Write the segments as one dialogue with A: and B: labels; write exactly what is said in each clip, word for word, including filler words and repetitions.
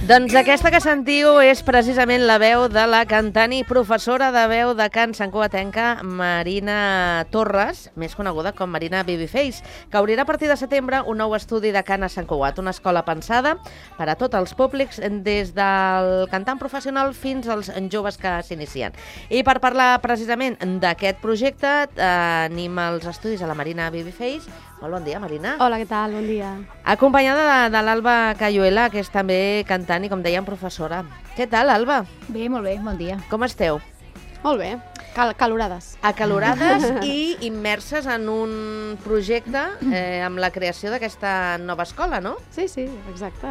A: Doncs aquesta que sentiu és precisament la veu de la cantant i professora de veu de cant santcugatenca Marina Torres, més coneguda com Marina Babyface, que obrirà a partir de setembre un nou estudi de cant a Sant Cugat, una escola pensada per a tots els públics, des del cantant professional fins als joves que s'inicien. I per parlar precisament d'aquest projecte, tenim als estudis a la Marina Babyface. Molt bon dia, Marina.
B: Hola, què tal? Bon dia.
A: Acompanyada de, de l'Alba Cayuela, que és també cantant i, com dèiem, professora. Què tal, Alba?
C: Bé, molt bé, bon dia.
A: Com esteu?
B: Molt bé, Cal calorades.
A: Acalorades i immerses en un projecte eh, amb la creació d'aquesta nova escola, no?
B: Sí, sí, exacte.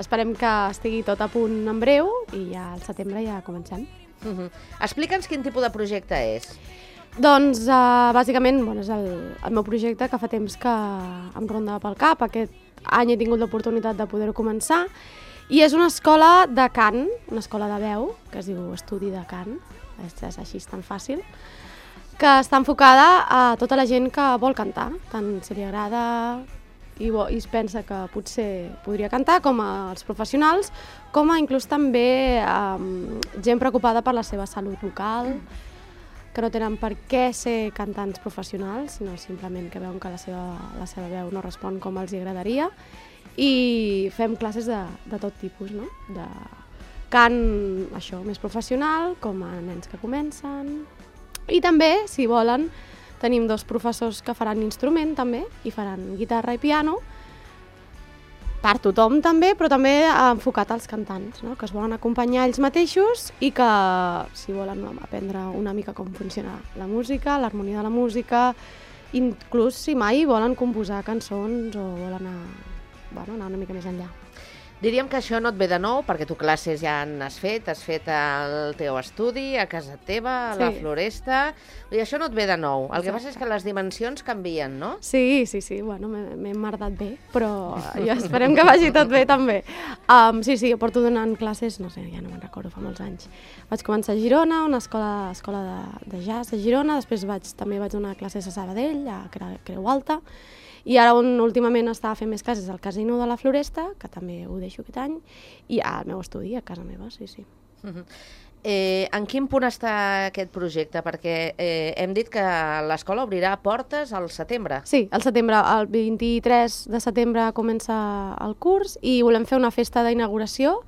B: Esperem que estigui tot a punt en breu i ja al setembre ja comencem.
A: Uh-huh. Explica'ns quin tipus de projecte és.
B: Doncs, uh, bàsicament, bueno, és el, el meu projecte que fa temps que em ronda pel cap. Aquest any he tingut l'oportunitat de poder-ho començar. I és una escola de cant, una escola de veu, que es diu Estudi de Cant, és, és així, és tan fàcil, que està enfocada a tota la gent que vol cantar, tant si li agrada i, i es pensa que potser podria cantar, com als professionals, com a inclús també um, gent preocupada per la seva salut vocal, que no tenen per què ser cantants professionals, sinó simplement que veuen que la seva, la seva veu no respon com els agradaria. I fem classes de, de tot tipus, no? De cant, això, més professional, com a nens que comencen. I també, si volen, tenim dos professors que faran instrument, també, i faran guitarra i piano, per tothom també, però també enfocat als cantants, no? Que es volen acompanyar ells mateixos i que, si volen aprendre una mica com funciona la música, l'harmonia de la música, inclús si mai volen composar cançons o volen anar, bueno, anar una mica més enllà.
A: Diríem que això no et ve de nou, perquè tu classes ja n'has fet, has fet al teu estudi, a casa teva, a la
B: Sí.
A: Floresta, i això no et ve de nou. El que
B: Exacte.
A: passa és que les dimensions canvien, no?
B: Sí, sí, sí, bueno, m'he emmerdat bé, però jo esperem que vagi tot bé també. Um, sí, sí, jo porto donant classes, no sé, ja no me'n recordo, fa molts anys. Vaig començar a Girona, una escola, escola de, de jazz a Girona, després vaig, també vaig donar classes a Sabadell, a Creu Alta, i ara on últimament estava fent més classes al Casino de la Floresta, que també ho deixo aquest any, i al meu estudi, a casa meva, sí, sí.
A: Uh-huh. Eh, en quin punt està aquest projecte? Perquè eh, hem dit que l'escola obrirà portes al setembre.
B: Sí, al setembre, el vint-i-tres de setembre comença el curs i volem fer una festa d'inauguració,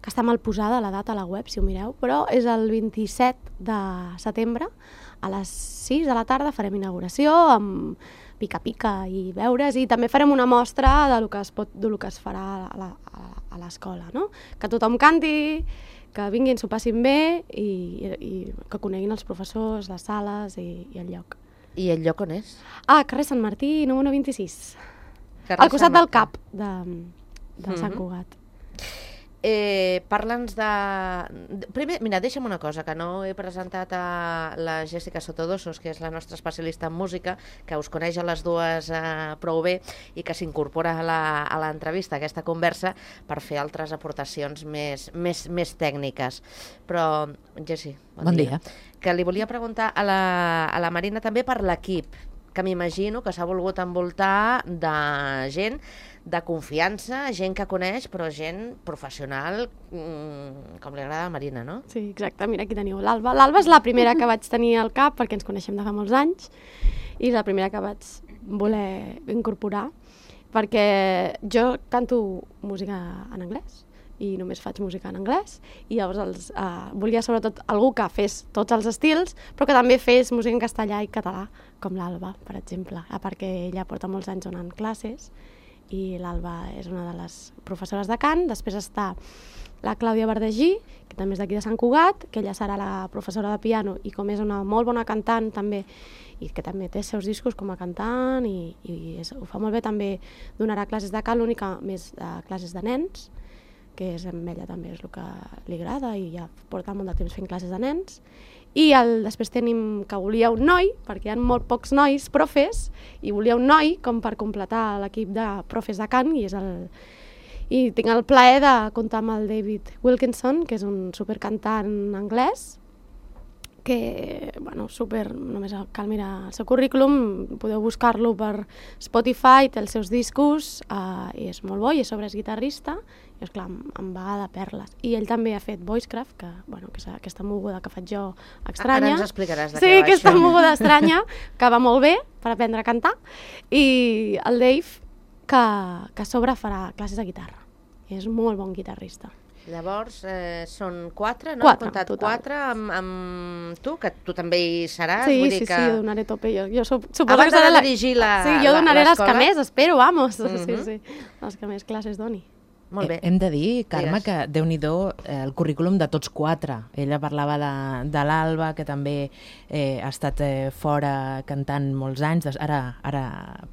B: que està mal posada la data a la web, si ho mireu, però és el vint-i-set de setembre, a les sis de la tarda farem inauguració amb pica-pica i beures, i també farem una mostra de lo que es, pot, de lo que es farà a la- a l'escola, no? Que tothom canti, que vinguin, s'ho passin bé i, i, i que coneguin els professors, les sales i, i el lloc.
A: I el lloc on és?
B: Ah, carrer Sant Martí, número vint-i-sis.
A: Carrer
B: Al costat
A: Sant
B: del
A: Martí.
B: cap de, de
A: Mhm.
B: Sant Cugat.
A: Eh, Parla'ns de... Primer, mira, deixa'm una cosa, que no he presentat a la Jessica Sotodosos, que és la nostra especialista en música, que us coneix a les dues eh, prou bé i que s'incorpora a l'entrevista, a aquesta conversa, per fer altres aportacions més, més, més tècniques. Però, Jessi, bon,
C: Bon
A: dia.
C: dia.
A: Que li volia preguntar a la, a la Marina també per l'equip, que m'imagino que s'ha volgut envoltar de gent de confiança, gent que coneix, però gent professional, mmm, com li agrada a Marina, no?
B: Sí, exacte, mira, aquí teniu l'Alba. L'Alba és la primera que vaig tenir al cap, perquè ens coneixem de fa molts anys, i és la primera que vaig voler incorporar, perquè jo canto música en anglès, i només faig música en anglès, i llavors els, uh, volia sobretot algú que fes tots els estils, però que també fes música en castellà i català, com l'Alba, per exemple, a part que ella porta molts anys donant classes, i l'Alba és una de les professores de cant. Després està la Clàudia Verdegí, que també és d'aquí de Sant Cugat, que ella serà la professora de piano i com és una molt bona cantant també, i que també té els seus discos com a cantant i, i és, ho fa molt bé, també donarà classes de cant, l'única més de classes de nens, que és amb ella també és el que li agrada i ja porta molt de temps fent classes de nens. I el, després tenim que volia un noi, perquè hi ha molt pocs nois profes, i volia un noi com per completar l'equip de profes de cant, i és el... I tinc el plaer de comptar amb el David Wilkinson, que és un supercantant anglès, que, bueno, super, només cal mirar el seu currículum, podeu buscar-lo per Spotify, té els seus discos, uh, i és molt bo, i a sobre és guitarrista, i esclar, em, em va de perles. I ell també ha fet Voicecraft, que, bueno, que és aquesta moguda que faig jo estranya.
A: Ara ens explicaràs de
B: sí,
A: què va això.
B: Sí, aquesta moguda estranya, que va molt bé per aprendre a cantar, i el Dave, que, que a sobre farà classes de guitarra. I és molt bon guitarrista.
A: Llavors, eh, són quatre, no?
B: Quatre,
A: Hem comptat
B: total.
A: quatre amb, amb tu, que tu també hi seràs.
B: Sí,
A: vull dir
B: sí,
A: que...
B: sí, jo donaré tope. Jo, jo sup suposo
A: Abans
B: que serà
A: de
B: la...
A: dirigir la
B: Sí, jo donaré les que més, espero, vamos.
A: Mm-hmm.
B: Sí, sí, les que més classes doni.
A: Molt bé.
C: Hem de dir, Carme,
A: Digues.
C: que Déu-n'hi-do eh, el currículum de tots quatre. Ella parlava de, de l'Alba, que també eh, ha estat eh, fora cantant molts anys, des, ara, ara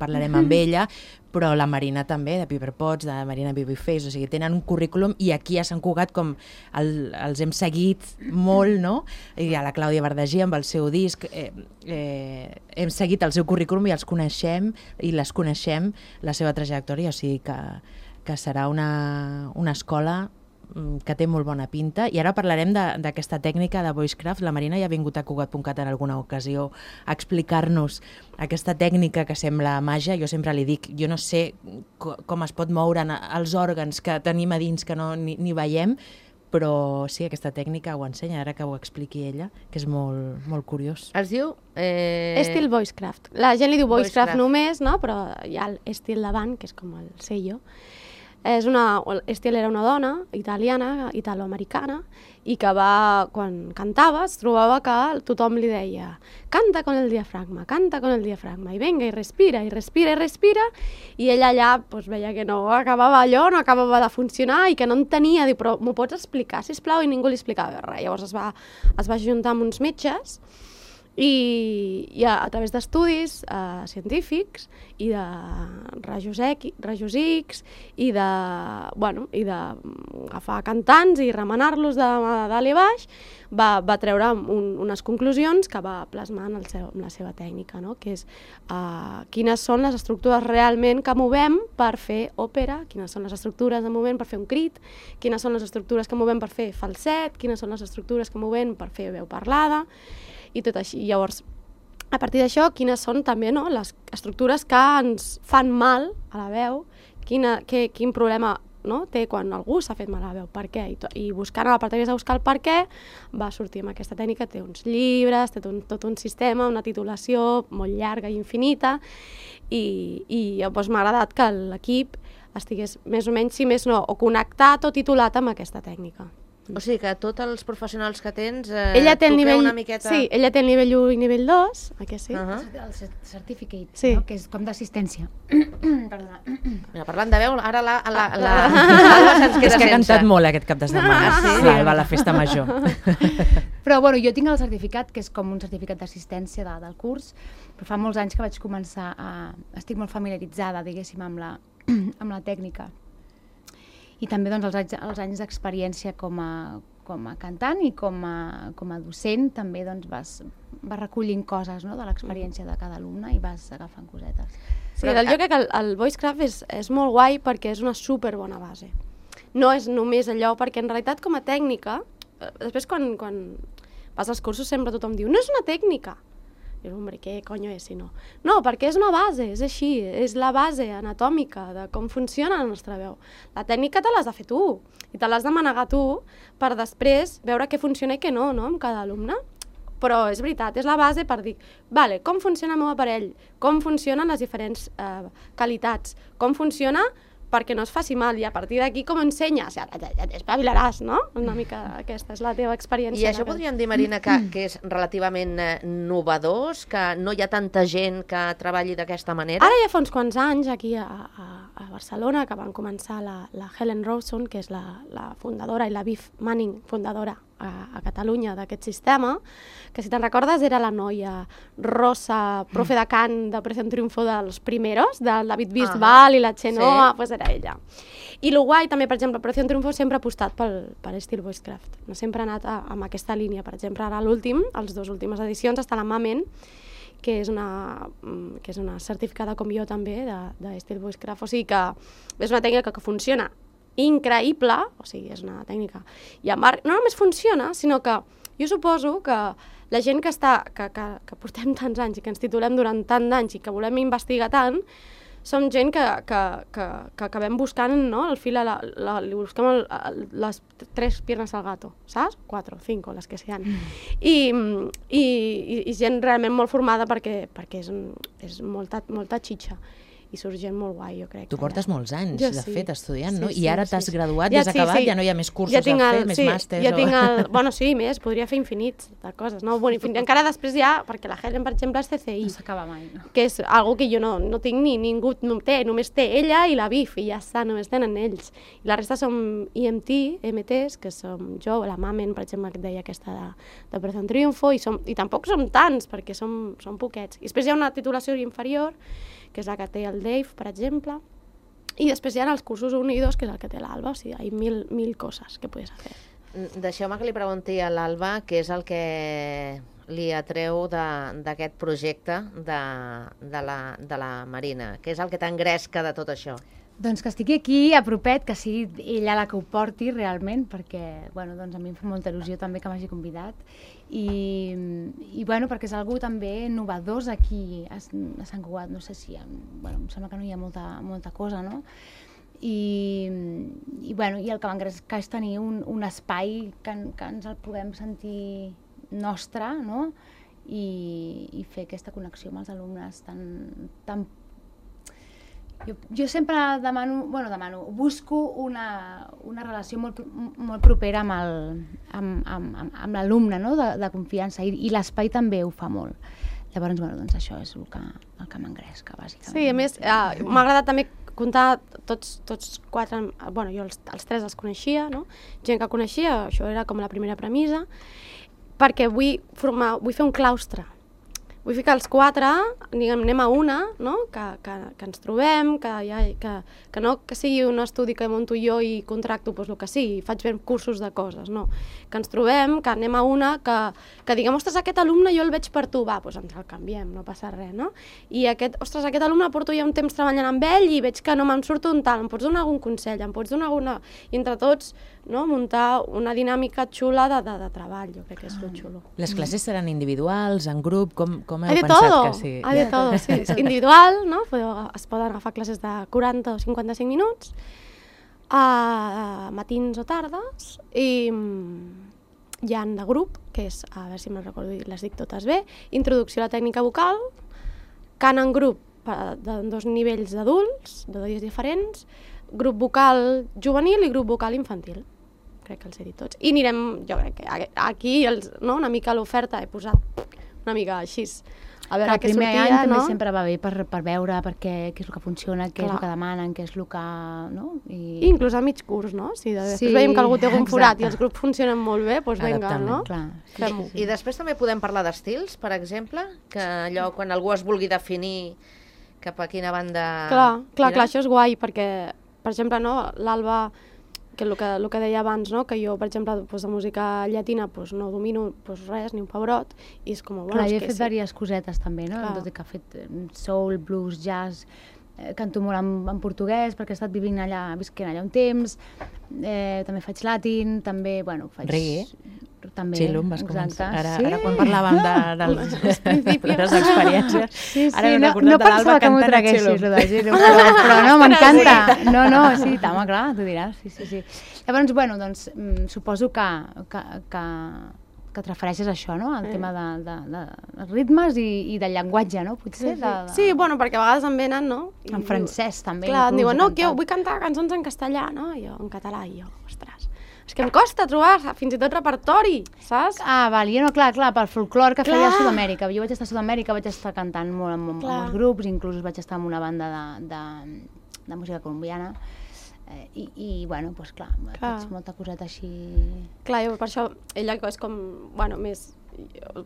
C: parlarem amb ella, però la Marina també, de Piper Potts, de Marina Babyface, o sigui, tenen un currículum i aquí a Sant Cugat com el, els hem seguit molt, no? I a la Clàudia Verdagí amb el seu disc, eh, eh, hem seguit el seu currículum i els coneixem i les coneixem, la seva trajectòria, o sigui que que serà una, una escola que té molt bona pinta. I ara parlarem d'aquesta tècnica de Voicecraft. La Marina ja ha vingut a Cugat punt cat en alguna ocasió a explicar-nos aquesta tècnica que sembla màgia. Jo sempre li dic, jo no sé com es pot moure els òrgans que tenim a dins que no ni, ni veiem, però sí, aquesta tècnica ho ensenya, ara que ho expliqui ella, que és molt, molt curiós.
A: Es diu... Eh...
B: Estil Voicecraft. La gent li diu Voicecraft,
A: Voicecraft
B: només, no? Però hi ha l'estil davant, que és com el sello. És una, Estil era una dona italiana, italoamericana, i que va, quan cantava, es trobava que tothom li deia canta con el diafragma, canta con el diafragma, i venga, i respira, i respira, i respira, i ella allà pues, veia que no acabava allò, no acabava de funcionar, i que no entenia, diu, però m'ho pots explicar, sisplau? I ningú li explicava res. Llavors es va, es va ajuntar amb uns metges, i, i a, a través d'estudis eh, científics i de rajos, X, rajos X i de, bueno, i de agafar cantants i remenar-los de dalt i baix, va, va treure un, unes conclusions que va plasmar en, el seu, en la seva tècnica, no? Que és eh, quines són les estructures realment que movem per fer òpera, quines són les estructures que movem per fer un crit, quines són les estructures que movem per fer falset, quines són les estructures que movem per fer veu parlada, i tot així. Llavors, a partir d'això, quines són també, no, les estructures que ens fan mal a la veu, quina, que, quin problema, no, té quan algú s'ha fet mal a la veu, per què? I, to, i buscant a la part de buscar el per què, va sortir amb aquesta tècnica, té uns llibres, té un, tot un sistema, una titulació molt llarga i infinita, i, i doncs, m'ha agradat que l'equip estigués més o menys, si més no, o connectat o titulat amb aquesta tècnica.
A: O sigui que tots els professionals que tens eh,
B: ella té el nivell,
A: una miqueta...
B: Sí, ella té el nivell u i nivell dos, aquí sí.
A: Uh -huh.
D: El certificate,
B: sí.
D: No? Que és com d'assistència. Perdona.
A: Mira, parlant de veu, ara la, la, la, la, la se'ns queda
C: És que ha
A: sense.
C: cantat molt aquest cap de setmana.
A: Ah, sí?
C: L'Alba a la festa major.
D: Però bueno, jo tinc el certificat, que és com un certificat d'assistència de, del curs, però fa molts anys que vaig començar a... Estic molt familiaritzada, diguéssim, amb la, amb la tècnica. I també doncs, els anys, els anys d'experiència com a, com a cantant i com a, com a docent també doncs, vas, vas recollint coses, no?, de l'experiència de cada alumne i vas agafant cosetes.
B: Sí, però, jo crec que el, el Voicecraft és, és molt guai perquè és una super bona base. No és només allò, perquè en realitat com a tècnica, després quan, quan vas als cursos sempre tothom diu no és una tècnica. I dius, hombre, què coño és si no? No, perquè és una base, és així, és la base anatòmica de com funciona la nostra veu. La tècnica te l'has de fer tu, i te l'has de manegar tu per després veure què funciona i què no, no, amb cada alumne. Però és veritat, és la base per dir, vale, com funciona el meu aparell, com funcionen les diferents eh, qualitats, com funciona perquè no es faci mal, i a partir d'aquí com ensenyes, ja, ja, ja t'espavilaràs, no? Una mica aquesta és la teva experiència.
A: I això podríem dir, Marina, que, que és relativament eh, novedós, que no hi ha tanta gent que treballi d'aquesta manera?
B: Ara ja fa uns quants anys, aquí a, a, a Barcelona, que van començar la, la Helen Rawson, que és la, la fundadora, i la Viv Manning, fundadora a, a Catalunya d'aquest sistema, que si te'n recordes era la noia rosa, profe de cant de Operación Triunfo dels primeros, del David Bisbal, uh -huh. i la Chenoa, sí. Pues era ella. I el guai també, per exemple, Operación Triunfo sempre ha apostat pel, per estil Voicecraft. No sempre ha anat a, amb aquesta línia. Per exemple, ara l'últim, les dues últimes edicions, està la Mamen, que és una, que és una certificada com jo també d'estil Voicecraft. O sigui que és una tècnica que funciona increïble, o sigui, és una tècnica. I a Marc no només funciona, sinó que jo suposo que la gent que, està, que, que, que portem tants anys i que ens titulem durant tant d'anys i que volem investigar tant, som gent que, que, que, que acabem buscant, no?, el fil, a la, la, li busquem el, el, les tres piernas al gato, saps? Quatre, cinco, les que sean. Mm. I, i, i gent realment molt formada perquè, perquè és, és molta, molta xitxa. I surt gent molt guai, jo crec.
C: Tu portes molts anys,
B: jo,
C: de
B: sí.
C: fet, estudiant,
B: sí,
C: no?
B: Sí,
C: I ara
B: sí,
C: t'has
B: sí.
C: graduat,
B: ja,
C: ja has
B: sí,
C: acabat,
B: sí.
C: ja no hi ha més cursos
B: ja
C: a fer,
B: el,
C: més
B: sí,
C: màsters...
B: Ja
C: o...
B: tinc el, bueno, sí, més, podria fer infinits de coses, no? Bueno, infin... Encara després ja, perquè la Helen, per exemple, és C C I.
D: No s'acaba mai, no?
B: Que és algo que jo no, no tinc ni ningú no té, només té ella i la B I F, i ja està, només tenen ells. I la resta som I M T, M Ts, que som jo, la Mamen, per exemple, que et deia aquesta de, de Operación Triunfo, i, som, i tampoc som tants, perquè som, som poquets. I després hi ha una titulació inferior, que és la que té el Dave, per exemple, i després hi ha els cursos un i dos, que és el que té l'Alba, o sigui, hi ha mil, mil coses que podes fer.
A: Deixeu-me que li pregunti a l'Alba què és el que li atreu d'aquest projecte de, de, la, de la Marina. Què és el que t'engresca de tot això?
D: Doncs que estigui aquí a propet, que sigui ella la que ho porti realment, perquè bueno, doncs a mi em fa molta il·lusió també que m'hagi convidat. I, i bueno, perquè és algú també innovador aquí a, a Sant Cugat, no sé si, bueno, em sembla que no hi ha molta, molta cosa, no? I, i, bueno, i el que m'engresca és tenir un, un espai que, que ens el puguem sentir nostre, no? I, i fer aquesta connexió amb els alumnes tan, tan Jo, jo sempre demano, bueno, demano, busco una, una relació molt, molt propera amb el, amb, amb, amb, amb l'alumne, no?, de, de confiança, i, i l'espai també ho fa molt. Llavors, bueno, doncs això és el que, el que m'engresca, bàsicament.
B: Sí, a més, eh, m'ha agradat també comptar tots, tots quatre, bueno, jo els, els tres els coneixia, no?, gent que coneixia, això era com la primera premissa, perquè vull, formar, vull fer un claustre. Vull ficar els quatre, diguem, anem a una, no?, que, que, que ens trobem, que, ja, que, que no que sigui un estudi que munto jo i contracto doncs, el que sigui, faig ben cursos de coses, no. Que ens trobem, que anem a una, que, que diguem, ostres, aquest alumne jo el veig per tu, va, doncs ens el canviem, no passa res, no? I aquest, ostres, aquest alumne porto ja un temps treballant amb ell i veig que no me'n surto un tal, em pots donar algun consell, em pots donar alguna... I entre tots, no?, muntar una dinàmica xula de, de, de treball, jo crec que és lo xulo.
C: Les classes seran individuals, en grup, com, com heu
B: Hay de
C: pensat
B: todo,
C: que sí?
B: hay de todo, sí. És individual, no? Es poden agafar classes de quaranta o cinquanta-cinc minuts, a matins o tardes, i hi ha de grup, que és, a veure si me'n recordo, les dic totes bé, introducció a la tècnica vocal, cant en grup de dos nivells d'adults, de dies diferents, grup vocal juvenil i grup vocal infantil. Crec que els he dit tots. I anirem, jo crec que aquí, els, no, una mica l'oferta he posat una mica així, a veure què sortia, no? El primer any
D: també sempre va bé per, per veure per què, què és el que funciona, què Clar. és el que demanen, què és el que... No? I... I inclús
B: a mig curs, no? Si després
D: sí,
B: veiem que algú té algun forat i els grups funcionen molt bé, doncs vinga, no?
D: Clar.
A: Fem-ho. I després també podem parlar d'estils, per exemple, que allò, quan algú es vulgui definir cap a quina banda...
B: Clar, clar, clar, això és guai, perquè, per exemple, no, l'Alba... que el que, el que deia abans, no? Que jo, per exemple, doncs, de música llatina doncs, no domino doncs, res, ni un pebrot, i és com... Bueno,
D: Clar,
B: és
D: jo he
B: que
D: fet
B: sí.
D: diverses cosetes també, no? Tot i que he fet soul, blues, jazz, eh, canto molt en, en portuguès, perquè he estat vivint allà, visquent allà un temps, eh, també faig latin, també, bueno, faig...
C: Reggae?
D: També,
C: Xilo, em vas començar. Ara,
D: sí?
C: ara quan parlàvem de, dels, de les experiències,
D: sí, sí,
C: ara
D: no, no pensava que m'ho traguessis, lo de Xilo, però, però no, m'encanta. No, no, sí, home, clar, tu diràs, sí, sí, sí. Llavors, bueno, doncs, mm, suposo que, que, que, que et refereixes a això, no?, al
B: Sí.
D: tema de, de, de, de ritmes i, i del llenguatge, no?, potser.
B: Sí,
D: De, de...
B: sí, bueno, perquè a vegades em venen, no? I
D: En francès, també.
B: Clar, em
D: inclús,
B: diuen, no,
D: he
B: que jo
D: cantat.
B: vull cantar cançons en castellà, no? I jo, en català, i jo, ostres, és que em costa trobar fins i tot repertori, saps?
D: Ah, val, jo no, clar, clar, pel folclor que
B: Clar.
D: feia a Sud-amèrica. Jo vaig estar a Sud-amèrica, vaig estar cantant molt amb, amb
B: Clar.
D: els grups, inclús vaig estar amb una banda de, de, de música colombiana. Eh, i, I, bueno, doncs clar,
B: Clar.
D: faig molta coseta així...
B: Clar, jo per això, ella és com, bueno, més...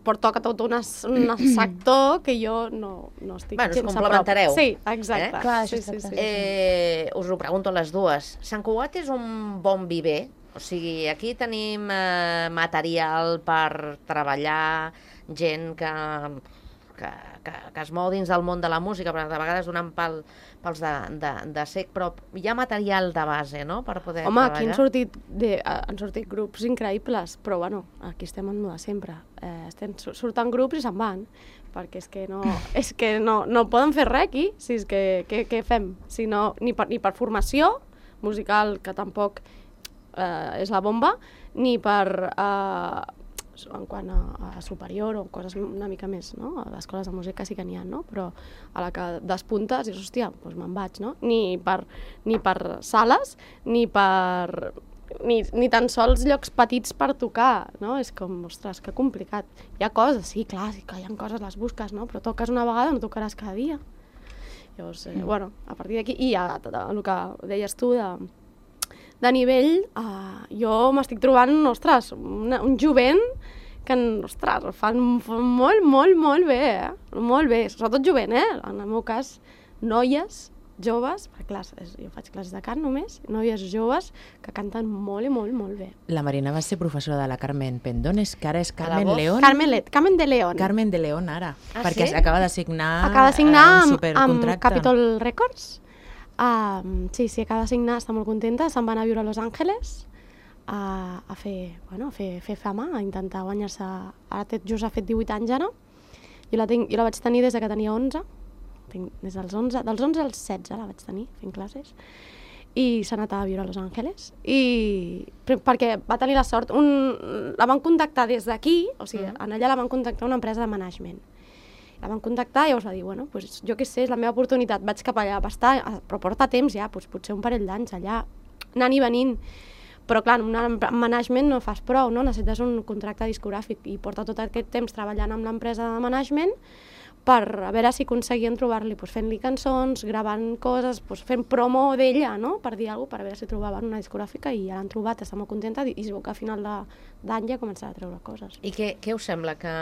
B: Portoca tot un, un sector que jo no, no estic
A: Bueno, us
B: gens a
A: complementareu.
B: prop. Sí, exacte.
A: Eh?
D: Clar,
B: sí,
D: això
B: sí,
D: està
B: sí.
D: clar.
A: Eh, us ho pregunto a les dues. Sant Cugat és un bon viver? O sigui, aquí tenim eh, material per treballar, gent que que, que, que es mou dins del món de la música, però de vegades donant pel, pels de, de, de sec, però hi ha material de base, no?, per poder
B: Home,
A: treballar.
B: aquí han sortit, de, han sortit grups increïbles, però bueno, aquí estem en de sempre. Eh, estem, surten grups i se'n van, perquè és que no, és que no, no poden fer res aquí, si és que què, què fem? Si no, ni, per, ni per formació musical, que tampoc eh, és la bomba, ni per... Eh, en quant a, a superior o coses una mica més, no? A les escoles de música sí que n'hi ha, no? Però a la que despuntes dius, hòstia, doncs me'n vaig, no? Ni per, ni per sales, ni per... Ni, ni tan sols llocs petits per tocar, no? És com, ostres, que complicat. Hi ha coses, sí, clar, sí que hi ha coses, les busques, no? Però toques una vegada, no tocaràs cada dia. Llavors, eh, bueno, a partir d'aquí, i a, a, a el que deies tu de... de nivell, uh, jo m'estic trobant, ostres, una, un jovent que, ostres, fan, fan molt, molt, molt bé, eh? Molt bé, sobretot jovent, eh? En el meu cas, noies, joves, perquè clar, jo faig classes de cant només, noies joves que canten molt i molt, molt bé.
C: La Marina va ser professora de la Carmen Pendones, que ara és Carmen
A: voz?
C: León.
B: Carmen, Le Carmen de León.
C: Carmen de León, ara.
A: Ah,
C: perquè
A: sí?
C: acaba de signar,
B: Acaba de signar
C: eh, un
B: amb, amb
C: supercontracte.
B: Capitol Records. Um, sí, sí, acaba de signar, està molt contenta, se'n van a viure a Los Angeles a, a fer, bueno, a fer, fer fama, a intentar guanyar-se... Ara té, just ha fet divuit anys ara. Jo la, tinc, jo la vaig tenir des de que tenia onze. Tinc, des dels onze, dels onze als setze la vaig tenir fent classes. I s'ha anat a viure a Los Angeles. I perquè va tenir la sort... Un, la van contactar des d'aquí, o sigui, mm. en allà la van contactar una empresa de management. La van contactar i llavors va dir, bueno, pues, jo què sé, és la meva oportunitat, vaig cap allà, va estar, però porta temps ja, pues, potser un parell d'anys allà, anant i venint. Però clar, en un management no fas prou, no? Necessites un contracte discogràfic i porta tot aquest temps treballant amb l'empresa de management per a veure si aconseguien trobar-li, pues, fent-li cançons, gravant coses, pues, fent promo d'ella, no? Per dir alguna cosa, per veure si trobaven una discogràfica i ja l'han trobat, està molt contenta i es veu que a final d'any ja començarà a treure coses.
A: I què, què us sembla que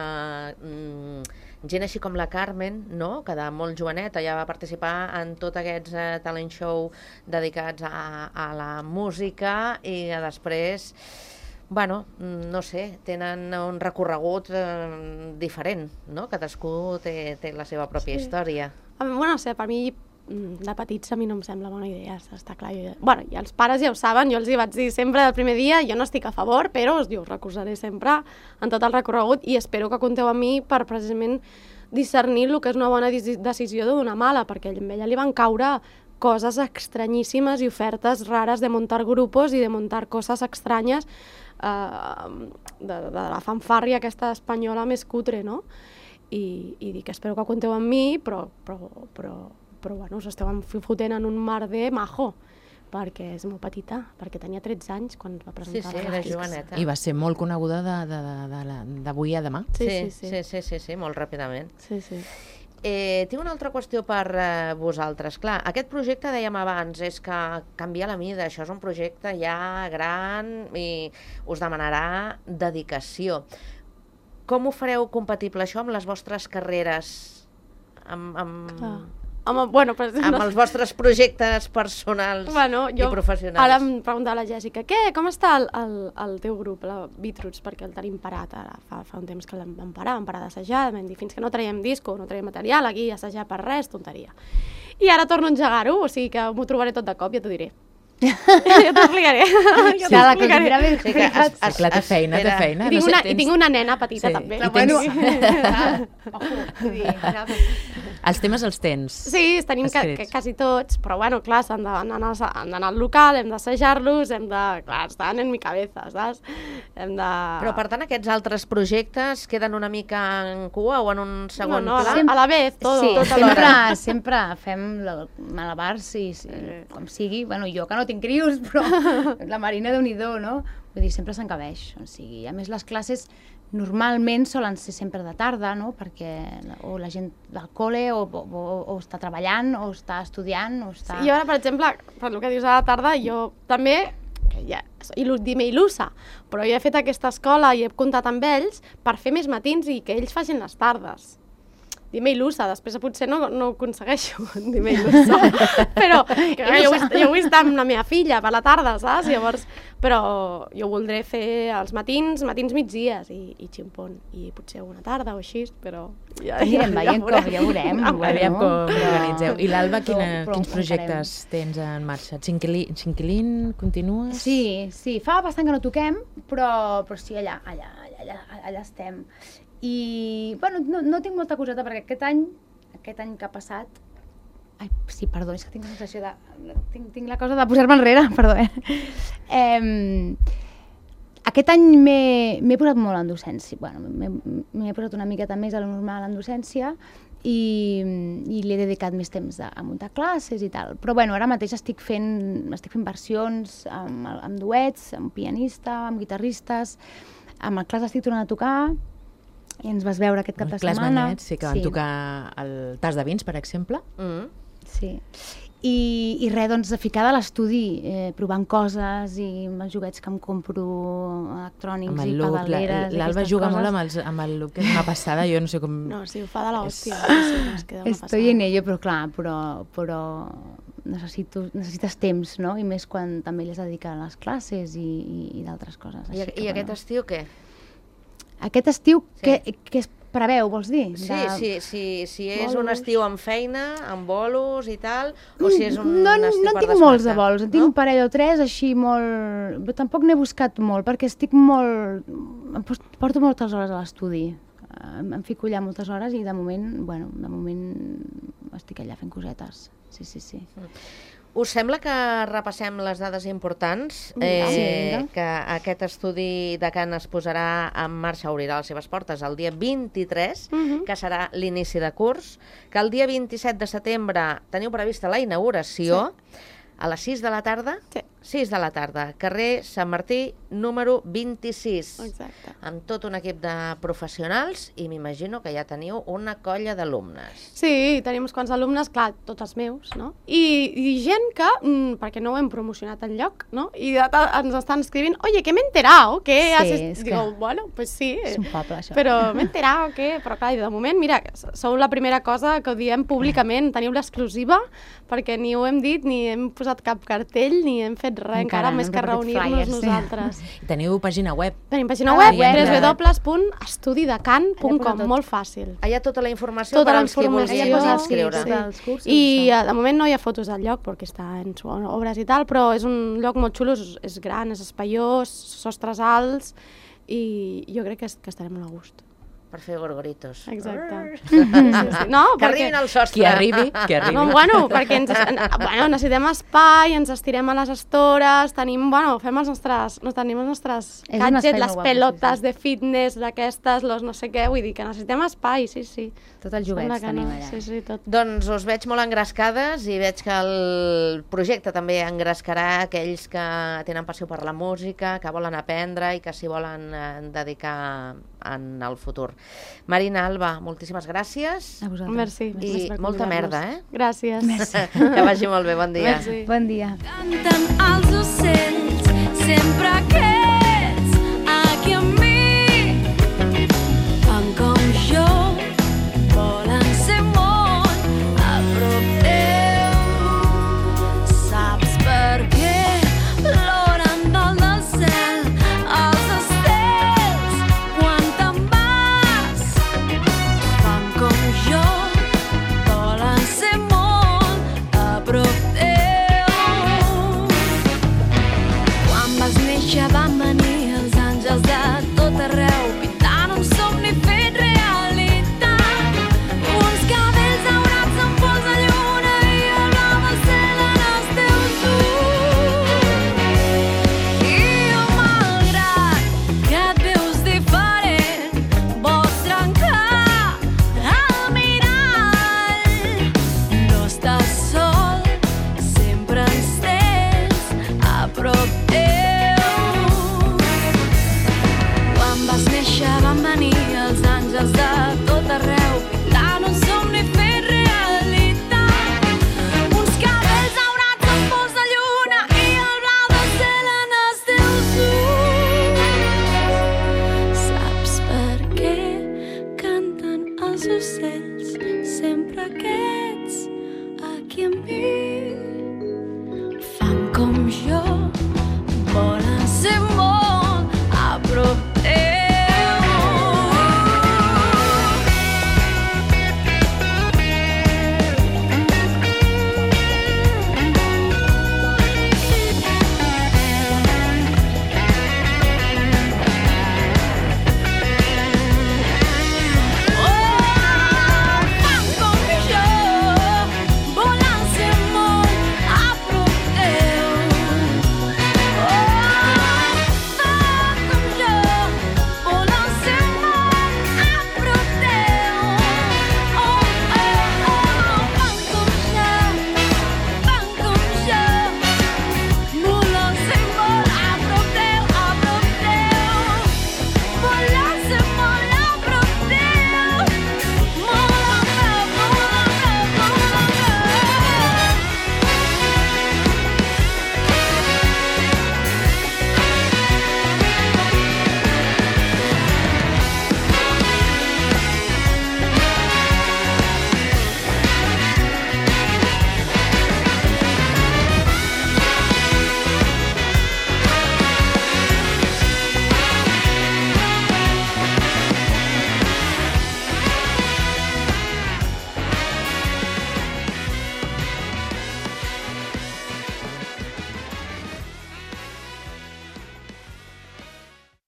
A: mm, gent així com la Carmen, no?, que de molt joveneta ja va participar en tots aquests eh, talent show dedicats a, a la música i que després, bueno, no sé, tenen un recorregut eh, diferent, no?, cadascú té, té la seva pròpia sí. història.
B: Bueno, no sé, per mi de petits a mi no em sembla bona idea, està clar. Jo, bueno, i els pares ja ho saben, jo els hi vaig dir sempre del primer dia, jo no estic a favor, però us, us recolzaré sempre en tot el recorregut i espero que compteu amb mi per precisament discernir el que és una bona decisió d'una mala, perquè a ella li van caure coses estranyíssimes i ofertes rares de muntar grupos i de muntar coses estranyes eh, de, de la fanfàrria aquesta espanyola més cutre, no? I, i dic, espero que compteu amb mi, però, però, però, però bueno, us esteu fotent en un merder majo, perquè és molt petita, perquè tenia tretze anys quan va presentar.
A: Sí, sí, era joveneta.
C: I va ser molt coneguda d'avui a demà.
A: Sí sí sí. Sí, sí, sí, sí, molt ràpidament.
B: Sí, sí.
A: Eh, tinc una altra qüestió per eh, vosaltres. Clar, aquest projecte, dèiem abans, és que canvia la mida, això és un projecte ja gran i us demanarà dedicació. Com ho fareu compatible això amb les vostres carreres? Amb, amb...
B: Clar. Home, bueno, però...
A: amb els vostres projectes personals
B: bueno, jo,
A: i professionals.
B: Ara em preguntava la Jèssica, què, com està el, el, el teu grup, la Beatroots, perquè el tenim parat ara, fa, fa un temps que l'hem vam parar, vam parar d'assajar, vam dir, fins que no traiem disco, no traiem material, aquí assajar per res, tonteria. I ara torno a engegar-ho, o sigui que m'ho trobaré tot de cop, ja t'ho diré. jo t'explicaré.
D: Ja la contindrà ben
A: Sí, que es, es,
C: Clar, té feina, té feina.
B: I tinc,
C: No sé,
B: una,
C: tens-
B: I tinc una nena petita,
C: Sí.
B: també.
C: I
D: Bueno,
C: tens-
D: ojo, vull dir, saps?
C: Els temes els tens.
B: Sí, els tenim ca
C: escrits.
B: que, quasi tots, però bueno, clar, s'han d'anar han d'anar al local, hem d'assajar-los, hem de... Clar, estan en mi cabeza, saps? Hem de...
A: Però, per tant, aquests altres projectes queden una mica en cua o en un segon
B: no, no, a,
A: pla?
B: la, a la vez, tot,
D: Sí,
B: tot
D: sempre,
B: alhora.
D: sempre fem la- malabars, sí, sí, com sigui. Bueno, jo que no tinc crios, però la Marina, Déu-n'hi-do, no? Vull dir, sempre s'encabeix. O sigui, a més, les classes normalment solen ser sempre de tarda, no? Perquè la- o la gent del col·le o, o, o està treballant, o està estudiant, o està...
B: I ara, per exemple, per el que dius a la tarda, jo també, que ja, il·lu- dime il·lusa, però jo he fet aquesta escola i he comptat amb ells per fer més matins i que ells facin les tardes. dir-me il·lusa, després potser no, no ho aconsegueixo, dir-me il·lusa, però que jo, vull, jo vull estar amb la meva filla per la tarda, saps? Llavors, però jo voldré fer els matins, matins migdies i, i ximpon, i potser una tarda o així, però... Ja,
D: Anirem ja, veient com, ja veurem.
C: Aviam com organitzeu. I l'Alba,
D: Però-
C: quina,
D: però
C: quins
D: ho
C: projectes tens en marxa? Xinquilín, Xinquilín continues?
D: Sí, sí, fa bastant que no toquem, però, però sí, allà, allà, allà, allà, allà estem. I, bueno, no, no tinc molta coseta, perquè aquest any, aquest any que ha passat... Ai, sí, perdó, és que tinc la sensació de... Tinc, tinc la cosa de posar-me enrere, perdó, eh? eh aquest any m'he m'he posat molt en docència, bueno, m'he m'he posat una miqueta més a lo normal en docència i, i li he dedicat més temps a, a muntar classes i tal. Però bueno, ara mateix estic fent, estic fent versions amb, amb duets, amb pianista, amb guitarristes, amb el Clas estic tornant a tocar i ens vas veure aquest cap de
C: Clas
D: setmana.
C: Banyets, sí, que van
D: Sí.
C: tocar el Tas de Vins, per exemple.
A: Mm.
D: Sí. I, i res, doncs, de ficar a l'estudi, eh, provant coses i amb els joguets que em compro electrònics
C: Amb
D: i
C: el look,
D: pedaleres i
C: l'Alba
D: aquestes
C: juga
D: coses.
C: molt amb, els, amb el look, que és una passada, jo no sé com...
B: No, sí, ho fa de l'hòstia. Sí, sí, no, es queda una
D: Estoy en
B: passada.
D: ello, però clar, però, però necessito, necessites temps, no? I més quan també li has de dedicar a les classes i, i, i d'altres coses.
A: I,
D: Així que,
A: I aquest
D: bueno.
A: estiu què?
D: Aquest estiu,
A: Sí.
D: què, què es preveu, vols dir?
A: Sí,
D: De-
A: sí, sí, si és un
B: bolos.
A: estiu amb feina, amb bolos i tal, o si és un
D: no,
A: estiu
D: no
A: per
D: en tinc molts de
A: desmarcar,
D: vols, en tinc
A: no?
D: un parell o tres així molt... Però tampoc n'he buscat molt, perquè estic molt... Em pos- porto moltes hores a l'estudi. Em, em fico allà moltes hores i de moment, bueno, de moment estic allà fent cosetes. Sí, sí, sí.
A: Us sembla que repassem les dades importants?
B: Sí,
A: Eh,
D: vinga.
A: que aquest estudi de Cant es posarà en marxa, obrirà les seves portes el dia vint-i-tres,
B: Mhm.
A: que serà l'inici de curs, que el dia vint-i-set de setembre teniu prevista la inauguració, a les sis de la tarda,
B: Sí.
A: sis de la tarda, carrer Sant Martí, número vint-i-sis,
B: Exacte.
A: amb tot un equip de professionals i m'imagino que ja teniu una colla d'alumnes.
B: Sí, tenim uns quants alumnes, clar, tots els meus, no? I, i gent que, mm, perquè no ho hem promocionat enlloc, no? I de, de, ens estan escrivint, oye, que m'he enterado, que
D: Sí,
B: has...
D: és que-
B: Digo, bueno, pues sí,
D: És un poble, això.
B: però m'he enterado, que... Però clar, i de moment, mira, sou la primera cosa que ho diem públicament, teniu l'exclusiva, perquè ni ho hem dit, ni hem posat cap cartell, ni hem fet res, encara,
D: Encara, no
B: més
D: hem
B: que
D: repartit
B: reunir-nos
D: flyers, sí.
B: nosaltres.
C: I teniu pàgina web.
B: Tenim pàgina
D: Ah,
B: web,
D: web,
B: w
D: ja.
B: w w punt estudidecant punt
D: Allà posa
B: com,
D: tot.
B: molt fàcil.
A: Hi ha tota la informació
B: Tota
A: per
B: la
A: als que
B: informació,
A: vulguin
D: Allà posa, sí,
A: inscriure.
D: sí. dels cursos,
B: I
D: això.
B: eh, de moment no hi ha fotos del lloc perquè està en su obres i tal, però és un lloc molt xulo, és, és gran, és espaiós, sostres alts i jo crec que, es- que estarem molt a gust.
A: Per fer gorgoritos.
B: Exacte. Sí, sí, sí. No,
A: Que
B: perquè...
A: arribin al sostre.
C: Qui arribi, que arribi.
B: No, bueno, perquè ens, bueno, necessitem espai, ens estirem a les estores, tenim, bueno, fem els nostres, no, tenim els nostres
D: És un espai
B: gadgets,
D: molt
B: les
D: guapo,
B: pelotes
D: sí, sí.
B: de fitness, d'aquestes, los no sé què, vull dir que necessitem espai, sí, sí.
D: Tot els
B: Sembla
D: joguets
B: que
D: tenim
B: no.
D: allà.
B: Sí, sí, tot.
A: Doncs us veig molt engrescades i veig que el projecte també engrescarà aquells que tenen passió per la música, que volen aprendre i que s'hi volen eh, dedicar en el futur. Marina, Alba, moltíssimes gràcies
D: A vosaltres.
B: Merci.
A: i
B: merci per
A: molta
B: convidar-nos.
A: merda, eh?
B: Gràcies. Merci.
A: Que vagi molt bé, bon dia.
B: Merci.
D: Bon dia.
E: Canten els ocells, sempre que ets aquí amb mi. Fan com jo, volen ser molt a prop teu. Saps per què ploren dalt del cel els estels quan te'n vas? Fan com jo, volen ser molt a prop teu. Quan vas néixer van venir els àngels de tot arreu, pintant un somni fet realitat. Uns cabells daurats amb pols de lluna i el blau del cel en els teus ulls. I jo, malgrat que et veus diferent, vols trencar el mirall. No estàs sol, sempre ens tens a prop teu. Quan vas néixer van venir els àngels de tot arreu, pintant un somni fet realitat. Uns cabells daurats amb pols de lluna i el blau del cel en els teus ulls. Saps per què canten els ocells sempre que ets aquí amb mi.